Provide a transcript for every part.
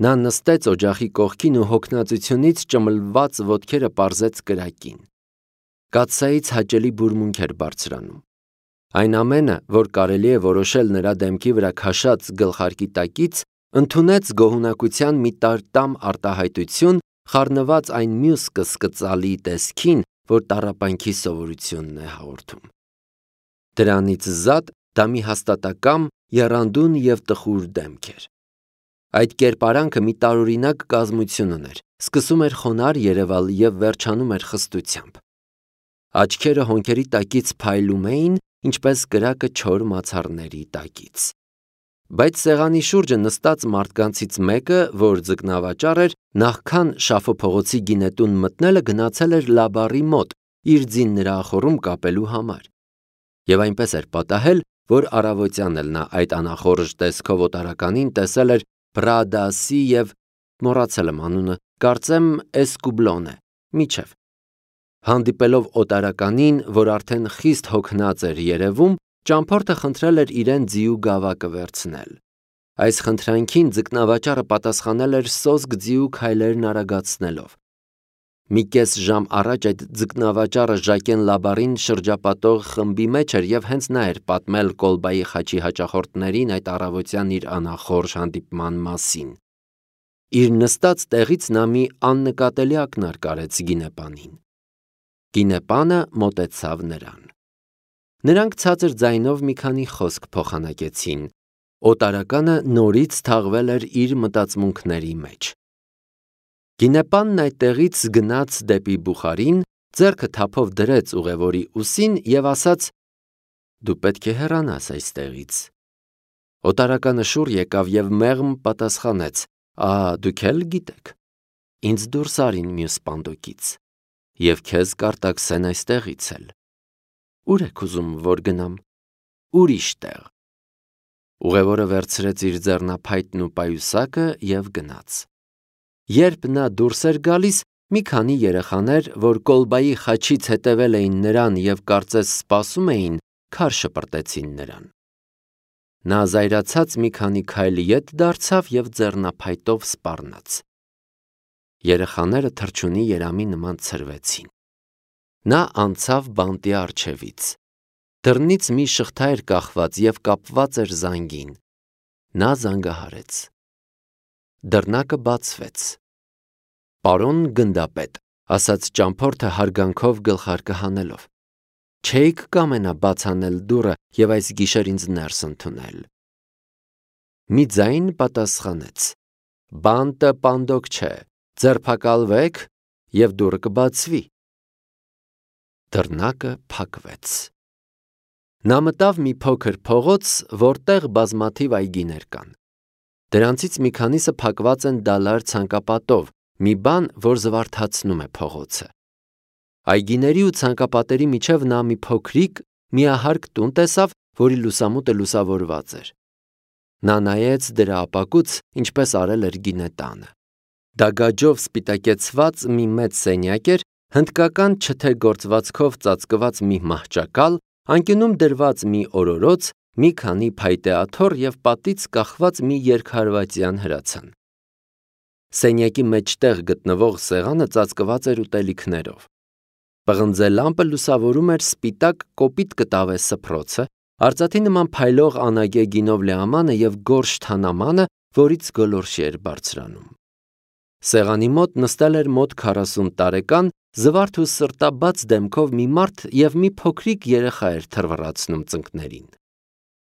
Նա նստեց օջախի կողքին ու հոգնածությունից ճմլված ոտքերը պարզեց կրակին։ Կաթսայից հաճելի բուրմունք էր բարձրանում։ Այն ամենը, որ կարելի է որոշել նրա դեմքի վրա քաշած գլխարկի տակից, ընդունեց գոհունակության մի տարտամ արտահայտություն, խառնված այն մյուս կսկծալի տեսքին, որ տառապանքի սովորությունն է հաղորդում։ Դրանից զատ դա մի հաստատակամ, եռանդուն և տխուր դեմք էր։ Այդ կերպարանքը մի տարօրինակ կազմություն ուներ, սկսում էր խոնարհ երևալ և վերջանում էր խստությամբ։ Աչքերը հոնքերի տակից փայլում էին, ինչպես կրակը չոր մացառների տակից։ Բայց սեղանի շուրջը նստած մարդկանցից մեկը, որ ձկնավաճառ էր, նախքան Շաֆո փողոցի գինետուն մտնելը գնացել էր Լաբարի մոտ իր ձին նրախորում կապելու համար։ Եվ այնպես էր պատահել, որ առավոտյան էլ նա այդ անախորժ տեսքով օտարականին տեսել էր Պրադասի և մոռացել եմ անունը, կարծեմ Էսկուբլոն է, միջև։ Հանդիպելով օտարականին, որ արդեն խիստ հոգնած էր երևում, ճամփորդը խնդրել էր իրեն ձիու գավակը վերցնել։ Այս խնդրանքին ձկնավաճառը պատասխանել էր սոսկ ձիու քայլերն արագացնելով։ Մի կես ժամ առաջ այդ ձկնավաճառը Ժակեն Լաբարին շրջապատող խմբի մեջ էր և հենց նա էր պատմել Կոլբայի խաչի հաճախորդներին այդ առավոտյան իր անախորժ հանդիպման մասին։ Իր նստած տեղից նա մի աննկատելի ակնարկ արեց գինեպանին։ Գինեպանը մոտեցավ նրան։ Նրանք ցածր ձայնով մի քանի խոսք փոխանակեցին։ Օտարականը նորից թաղվել էր իր մտածմունքների մեջ։ Գինեպանն այդտեղից գնաց դեպի բուխարին, ձեռքը թափով դրեց ուղևորի ուսին և ասաց. «Դու պետք է հեռանաս այստեղից»։ Օտարականը շուռ եկավ և մեղմ պատասխանեց. «Դուք էլ գիտեք, ինձ դուրս արին մյուս պանդոկից, և քեզ կարտաքսեն այստեղից էլ։ Ուր եք ուզում, որ գնամ։ Ուրիշ տեղ»։ Ուղևորը վերցրեց իր ձեռնափայտն ու պայուսակը և գնաց։ Երբ նա դուրս էր գալիս, մի քանի երեխաներ, որ Կոլբայի խաչից հետևել էին նրան և կարծես սպասում էին, քար շպրտեցին նրան։ Նա զայրացած մի քանի քայլ ետ դարձավ և ձեռնափայտով սպառնաց։ Երեխաները թռչունի երամի նման ցրվեցին։ Նա անցավ բանտի առջևից։ Դռնից մի շղթա էր կախված և կապված էր զանգին։ Նա զանգահարեց։ Դռնակը բացվեց։ «Պարոն գնդապետ», ասաց ճամփորդը հարգանքով գլխարկը հանելով, «չէիք կամենա բաց անել դուռը և այս գիշեր ինձ ներս ընդունել»։ Մի ձայն պատասխանեց. «Բանտը պանդոկ չէ, ձերբակալվեք և դուռը կբացվի»։ Դռնակը փակվեց։ Նա մտավ մի փոքր փողոց, որտեղ բազմաթիվ այգիներ կան։ Դրանցից մի քանիսը փակված են դալար ցանկապատով, մի բան, որ զվարթացնում է փողոցը։ Այգիների ու ցանկապատերի միջև նա մի փոքրիկ, միահարկ տուն տեսավ, որի լուսամուտը լուսավորված էր։ Նա նայեց դրա ապակուց, ինչպես արել էր գինետանը։ Դա գաջով սպիտակեցված մի մեծ սենյակ էր, հնդկական չթե գործվածքով ծածկված մի մահճակալ, անկյունում դրված մի օրորոց, մի քանի փայտե աթոռ և պատից կախված մի երկհարվածյան հրացան։ Սենյակի մեջտեղ գտնվող սեղանը ծածկված էր ուտելիքներով։ Պղնձե լամպը լուսավորում էր սպիտակ կոպիտ կտավե սփռոցը, արծաթի նման փայլող անագե գինով լեամանը և գորշ թանամանը, որից գոլորշի էր բարձրանում։ Սեղանի մոտ նստել էր մոտ 40 տարեկան, զվարթ ու սրտաբաց դեմքով մի մարդ և մի փոքրիկ երեխա էր թռվռացնում ծնկներին։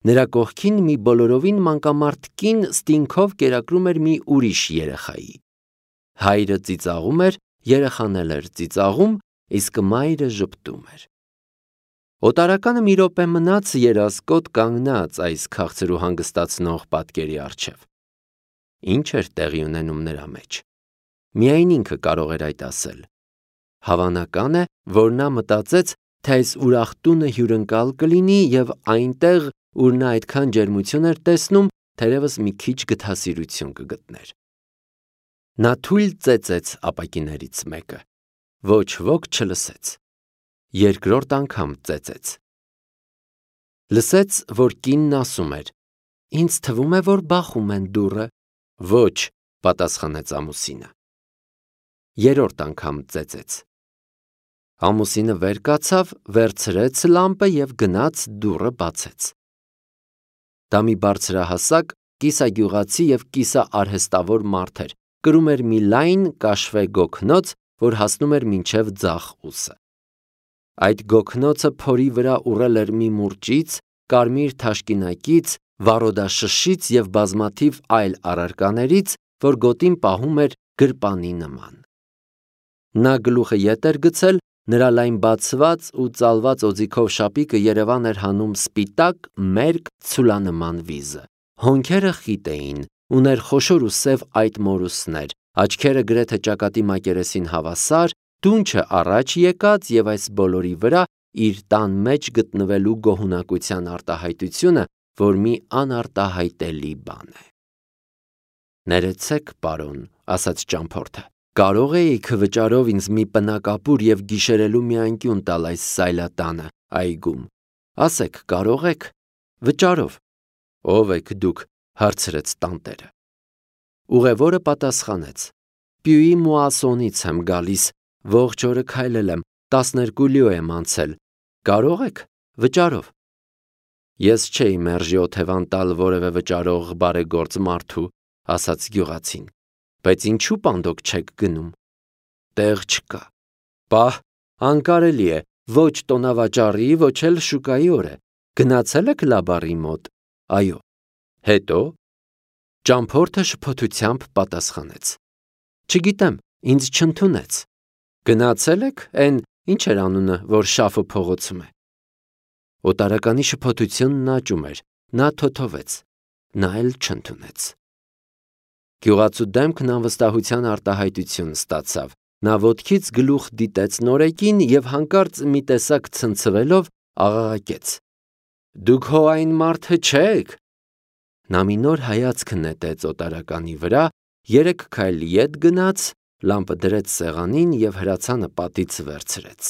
Նրա կողքին մի բոլորովին մանկամարդ կին ստինգով կերակրում էր մի ուրիշ երեխայի։ Հայրը ծիծաղում էր, երեխան էլ էր ծիծաղում, իսկ մայրը ժպտում էր։ Օտարականը մի րոպե մնաց երազկոտ կանգնած այս քաղցր ու հանգստացնող պատկերի առջև։ Ինչ էր տեղի ունենում նրա մեջ։ Միայն ինքը կարող էր այդ ասել։ Հավանական է, որ նա մտածեց, թե այս ուրախ տունը հյուրընկալ կլինի և այնտեղ, ուր նա այդքան ջերմություն էր տեսնում, թերևս մի քիչ գթասիրություն կգտներ։ Նա թույլ ծեծեց ապակիներից մեկը։ Ոչ ոք չլսեց։ Երկրորդ անգամ ծեծեց։ Լսեց, որ կինն ասում էր. «Ինձ թվում է, որ բախում են դուռը»։ Ոչ, պատասխանեց ամուսինը։ Երրորդ անգամ ծեծեց։ Ամուսինը վեր կացավ, վերցրեց լամպը և գնաց դուռը բացեց։ Դա մի բարձրահասակ, կիսագյուղացի և կիսաարհեստավոր մարդ էր, կրում էր մի լայն կաշվե գոգնոց, որ հասնում էր մինչև ձախ ուսը։ Այդ գոգնոցը փորի վրա ուռել էր մի մուրճից, կարմիր թաշկինակից, վառոդաշշից և բազմաթիվ այլ առարկաներից, որ գոտին պահում էր գրպանի նման։ Նա գլուխը ետ էր գցել, նրա լայն բացված ու ծալված օձիքով շապիկը երևան էր հանում սպիտակ, մերկ, ցուլանման վիզը։ Հոնքերը խիտ էին, ուներ խոշոր ու սև այդ մորուսներ, աչքերը գրեթե ճակատի մակերեսին հավասար, դունչը առաջ եկած և այս բոլորի վրա իր տան մեջ գտնվելու գոհունակության արտահայտությունը, որ մի անարտահայտելի բան է։ Ներեցեք, պարոն, ասաց ճամփորդը, կարող էիք վճարով ինձ մի պնակապուր և գիշերելու մի անկյուն տալ այս սայլատանը, այգում։ Ասեք, կարող եք։ Վճարով։ Ո՞վ եք դուք, հարցրեց տանտերը։ Ուղևորը պատասխանեց. Պյուի Մուասոնից եմ գալիս, ողջ օրը քայլել եմ, 12 լիո եմ անցել։ Կարող եք։ Վճարով։ Ես չէի մերժի օթևան տալ որևէ վճարող բարեգործ մարդու, ասաց գյուղացին, բայց ինչու պանդոկ չեք գնում։ Տեղ չկա։ Պահ, անկարելի է, ոչ տոնավաճառի, ոչ էլ շուկայի օր է։ Գնացել եք լաբարի մոտ։ Այո։ Հետո։ Ճամփորդը շփոթությամբ պատասխանեց. Չգիտեմ, ինձ չընդունեց։ Գնացել եք, էն ինչ էր անունը, որ շաֆը փողոցում է։ Օտարականի շփոթությունն աճում էր, նա թոթովեց, նա էլ չընդունեց։ Գյուղացու դեմքն անվստահության արտահայտություն ստացավ, նա ոտքից գլուխ դիտեց նորեկին և հանկարծ մի տեսակ ցնցվելով աղաղակեց. Դուք հո այն մարդը չեք։ Նա մի նոր հայացք նետեց օտարականի վրա, 3 քայլ ետ գնաց, լամպը դրեց սեղանին և հրացանը պատից վերցրեց։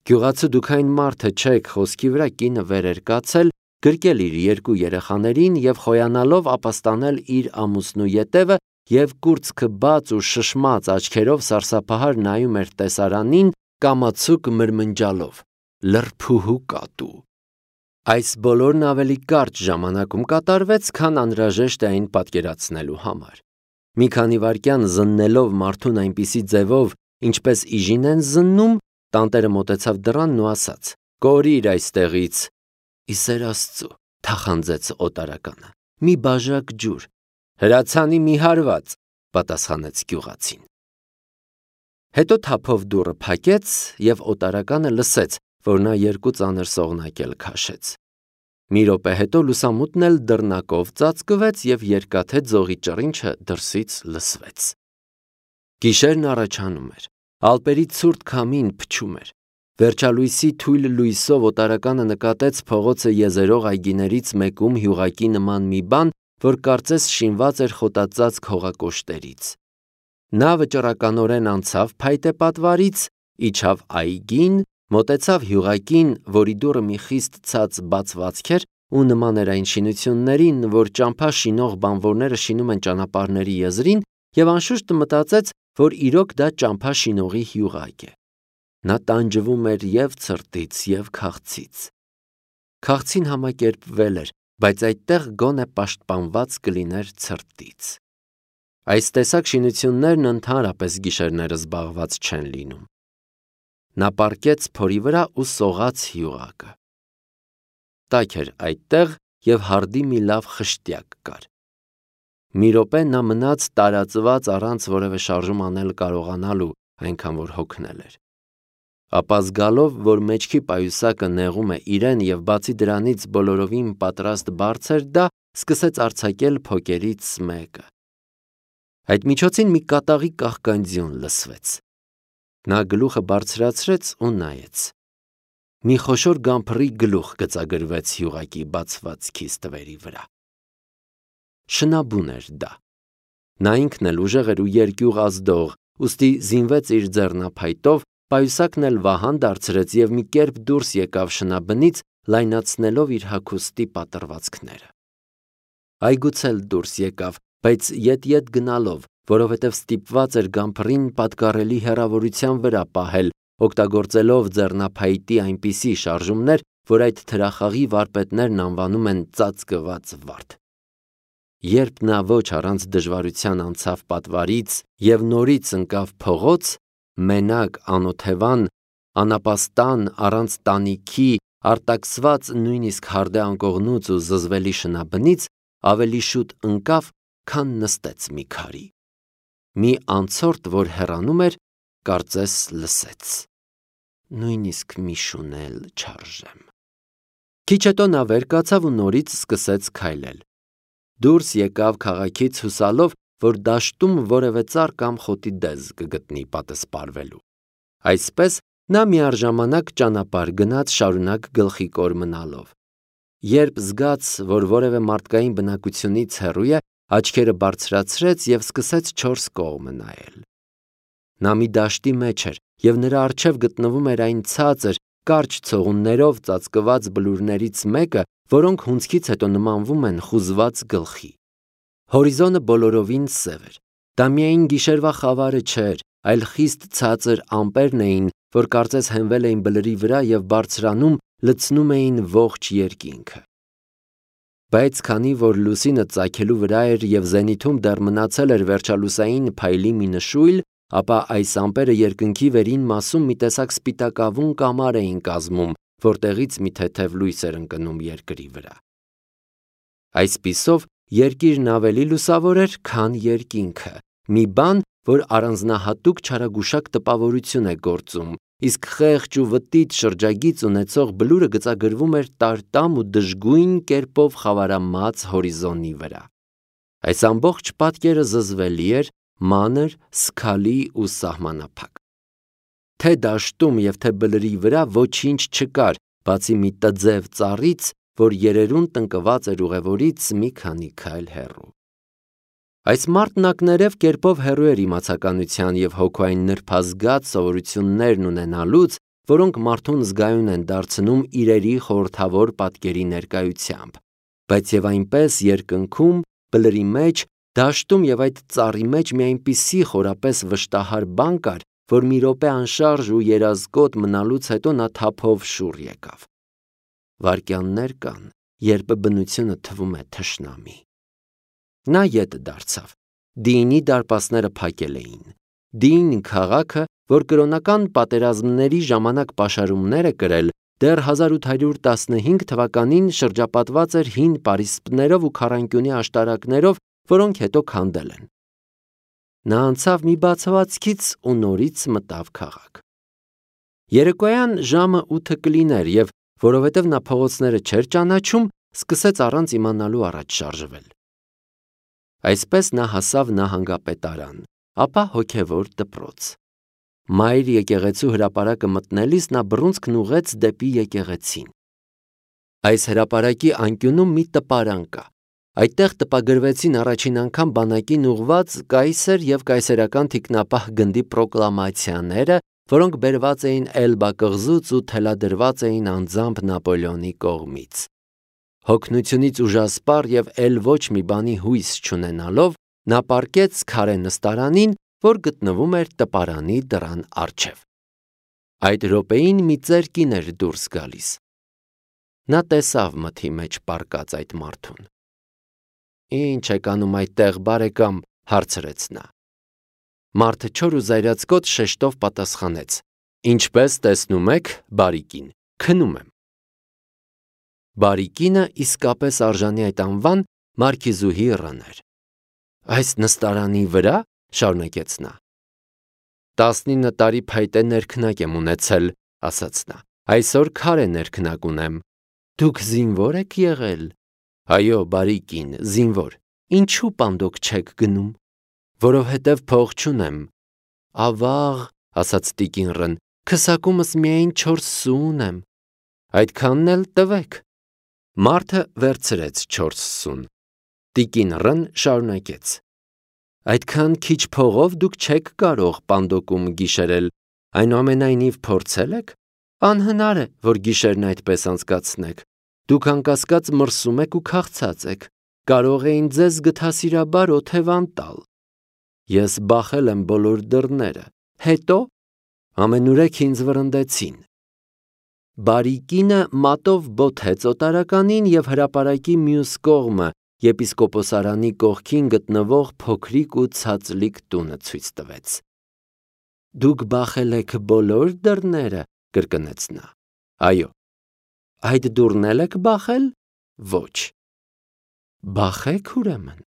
Գյուղացու դուք այն մարդը չեք խոսքի վրա կինը վեր էր կացել, գրկել իր 2 երեխաներին և խոյանալով ապաստանել իր ամուսնու ետևը և կուրծքը բաց ու շշմած աչքերով սարսափահար նայում էր տեսարանին, կամացուկ մրմնջալով. լրփուհու կատու։ Այս բոլորն ավելի կարճ ժամանակում կատարվեց, քան անհրաժեշտ է այն պատկերացնելու համար։ Մի քանի վայրկյան զննելով մարդուն այնպիսի ձևով, ինչպես իժին են զննում, տանտերը մոտեցավ դռանն ու ասաց. Կորիր այստեղից։ Ի սեր Աստծո, թախանձեց օտարականը։ Մի բաժակ ջուր։ Հրացանի մի հարված, պատասխանեց գյուղացին։ Հետո թափով դուռը փակեց և օտարականը լսեց, որ նա 2 ծանր սողնակել քաշեց։ Մի րոպե հետո լուսամուտն էլ դռնակով ծածկվեց և երկաթե ձողի ճռինչը դրսից լսվեց։ Գիշերն առաջանում էր, ալպերի ցուրտ քամին փչում էր։ Վերջալույսի թույլ լույսով օտարականը նկատեց փողոցը եզերող այգիներից մեկում հյուղակի նման մի բան, որ կարծես շինված էր խոտածածկ հողակոշտերից։ Նա վճռականորեն անցավ փայտե պատվարից, իջավ այգին, մոտեցավ հյուղակին, որի դուռը մի խիստ ցած բացվածք էր ու նման էր այն շինություններին, որ ճամփա շինող բանվորները շինում են ճանապարհների եզրին, և անշուշտ մտածեց, որ իրոք դա ճամփա շինողի հյուղակ է։ Նա տանջվում էր և ցրտից, և քաղցից։ Քաղցին համակերպվել էր, բայց այդտեղ գոնե պաշտպանված կլիներ ցրտից։ Այս տեսակ շինություններն ընդհանրապես գիշերները զբաղված չեն լինում։ Նա պառկեց փորի վրա ու սողաց հյուղակը։ Տաք էր այդտեղ և հարդի մի լավ խշտյակ կար։ Մի րոպե նա մնաց տարածված առանց որևէ շարժում անել կարողանալու, այնքան որ հոգնել էր։ Ապա զգալով, որ մեջքի պայուսակը նեղում է իրեն և բացի դրանից բոլորովին պատրաստ բարձր դա, սկսեց արձակել փոկերից մեկը։ Այդ միջոցին մի կատաղի կաղկանձյուն լսվեց։ Նա գլուխը բարձրացրեց ու նայեց։ Մի խոշոր գամփռի գլուխ գծագրվեց հյուղակի բացված քիստվերի վրա։ Շնաբուն էր դա։ Նա ինքն էլ ուժեղ էր ու երկյուղ ազդող, ուստի զինվեց իր ձեռնափայտով, պայուսակն էլ վահան դարձրեց և մի կերպ դուրս եկավ շնաբնից, լայնացնելով իր հագուստի պատռվածքները։ Այգուց էլ դուրս եկավ, բայց ետ գնալով, որովհետև ստիպված էր գամփրին պատկառելի հեռավորության վրա պահել, օգտագործելով ձեռնափայտի այնպիսի շարժումներ, որ այդ թրախաղի վարպետներն անվանում են ծածկված վարդ։ Երբ նա ոչ առանց դժվարության անցավ պատվարից և նորից ընկավ փողոց, մենակ, անօթևան, անապաստան, առանց տանիքի, արտաքսված նույնիսկ հարդե անկողնուց ու զզվելի շնաբնից, ավելի շուտ ընկավ, քան նստեց մի քարի։ Մի անցորդ, որ հեռանում էր, կարծես լսեց. նույնիսկ մի շուն էլ չարժեմ։ Քիչ հետո նա վեր կացավ ու նորից սկսեց քայլել։ Դուրս եկավ քաղաքից հուսալով, որ դաշտում որևէ ծառ կամ խոտի դեզ կգտնի պատսպարվելու։ Այսպես նա միառժամանակ ճանապարհ գնաց, շարունակ գլխիկոր մնալով։ Երբ զգաց, որ որևէ մարդկային բնակությունից հեռու է, աչքերը բարձրացրեց և սկսեց չորս կողմը նայել։ Նա մի դաշտի մեջ էր, և նրա առջև գտնվում էր այն ցածր, կարճ ցողուններով ծածկված բլուրներից մեկը, որոնք հունձքից հետո նմանվում են խուզված գլխի։ Հորիզոնը բոլորովին սև էր։ Դա միայն գիշերվա խավարը չէր, այլ խիստ ցածր ամպերն էին, որ կարծես հենվել էին բլրի վրա և բարձրանում, լցնում էին ողջ երկինքը։ Բայց քանի որ լուսինը ծագելու վրա էր և զենիթում դեռ մնացել էր վերջալուսային փայլի մի նշույլ, ապա այս ամպերը երկնքի վերին մասում մի տեսակ սպիտակավուն կամար էին կազմում, որտեղից մի թեթև լույս էր ընկնում երկրի վրա։ Այսպիսով երկիրն ավելի լուսավոր էր, քան երկինքը, մի բան, որ առանձնահատուկ չարագուշակ տպավորություն է գործում, իսկ խեղճ ու վտիտ շրջագիծ ունեցող բլուրը գծագրվում էր տարտամ ու դժգույն կերպով խավարամած հորիզոնի վրա։ Այս ամբողջ պատկերը զզվելի էր, մանր, սգալի ու սահմանափակ։ Թե դաշտում և թե բլրի վրա ոչինչ չկար, բացի մի տձև ծառից, որ երերուն տնկված էր ուղևորից մի քանի քայլ հեռու։ Այս մարդն ակներև կերպով հեռու էր իմացականության և հոգու այն նրբազգաց սովորություններն ունենալուց, որոնք մարդուն զգայուն են դարձնում իրերի խորհրդավոր պատկերի ներկայությամբ, բայց և այնպես երկնքում, բլրի մեջ, դաշտում և այդ ծառի մեջ մի այնպիսի խորապես վշտահար բան կար, որ մի րոպե անշարժ ու երազկոտ մնալուց հետո նա թափով շուռ եկավ։ Վայրկյաններ կան, երբ բնությունը թվում է թշնամի։ Նա ետ դարձավ։ Դիինի դարպասները փակել էին։ Դիին քաղաքը, որ կրոնական պատերազմների ժամանակ պաշարումներ է կրել, դեռ 1815 թվականին շրջապատված էր հին պարիսպներով ու քառանկյունի աշտարակներով, որոնք հետո քանդել են։ Նա անցավ մի բացվածքից ու նորից մտավ քաղաք։ Երեկոյան ժամը 8 կլիներ և, որովհետև նա փողոցները չէր ճանաչում, սկսեց առանց իմանալու առաջ շարժվել։ Այսպես նա հասավ նահանգապետարան, ապա հոգևոր դպրոց։ Մայր եկեղեցու հրապարակը մտնելիս նա բռունցքն ուղղեց դեպի եկեղեցին։ Այս հրապարակի անկյունում մի տպարան կա։ Այդտեղ տպագրվեցին առաջին անգամ բանակին ուղղված կայսեր և կայսերական թիկնապահ գնդի պրոկլամացիաները, որոնք բերված էին Էլբա կղզուց ու թելադրված էին անձամբ Նապոլեոնի կողմից։ Հոգնությունից ուժասպառ և էլ ոչ մի բանի հույս չունենալով, նա պառկեց քարե նստարանին, որ գտնվում էր տպարանի դռան առջև։ Այդ րոպեին մի ծեր կին էր դուրս գալիս։ Նա տեսավ մթի մեջ պառկած այդ մարդուն։ «Ի՞նչ եք անում այդտեղ, բարեկամ», հարցրեց նա։ Մարդը չոր ու զայրացկոտ շեշտով պատասխանեց. «Ինչպես տեսնում եք, բարի կին, քնում եմ»։ Բարի կինը իսկապես արժանի այդ անվան Մարքիզուհի Ռ-ն էր։ «Այս նստարանի վրա», շարունակեց նա։ 19 տարի փայտե ներքնակ եմ ունեցել, ասաց նա։ Այսօր քարե ներքնակ ունեմ։ Դուք զինվո՞ր եք եղել։ Այո, բարի կին, զինվոր։ Ինչու պանդոկ չեք գնում։ Որովհետև փող չունեմ։ Ավաղ, ասաց տիկին Ռ-ն, քսակումս միայն 4 սու ունեմ։ Այդքանն էլ տվեք։ Մարդը վերցրեց 4 սուն։ Տիկին Ռ-ն շարունակեց. Այդքան քիչ փողով դուք չեք կարող պանդոկում գիշերել, այնուամենայնիվ փորձել եք։ Անհնար է, որ գիշերն այդպես անցկացնեք։ Դուք անկասկած մրսում եք ու քաղցած եք։ կարող էին ձեզ գթասիրաբար օթևան տալ։ Ես բախել եմ բոլոր դռները, հետո ամենուրեք ինձ վրընդեցին։ Բարի կինը մատով բոթեց օտարականին և հրապարակի մյուս կողմը եպիսկոպոսարանի կողքին գտնվող փոքրիկ ու ցածլիկ տունը ցույց տվեց։ Դուք բախել եք բոլոր դռները, կրկնեց նա։ Այո։ Այդ դուռն էլ եք բախել։ Ոչ։ Բախեք ուրեմն։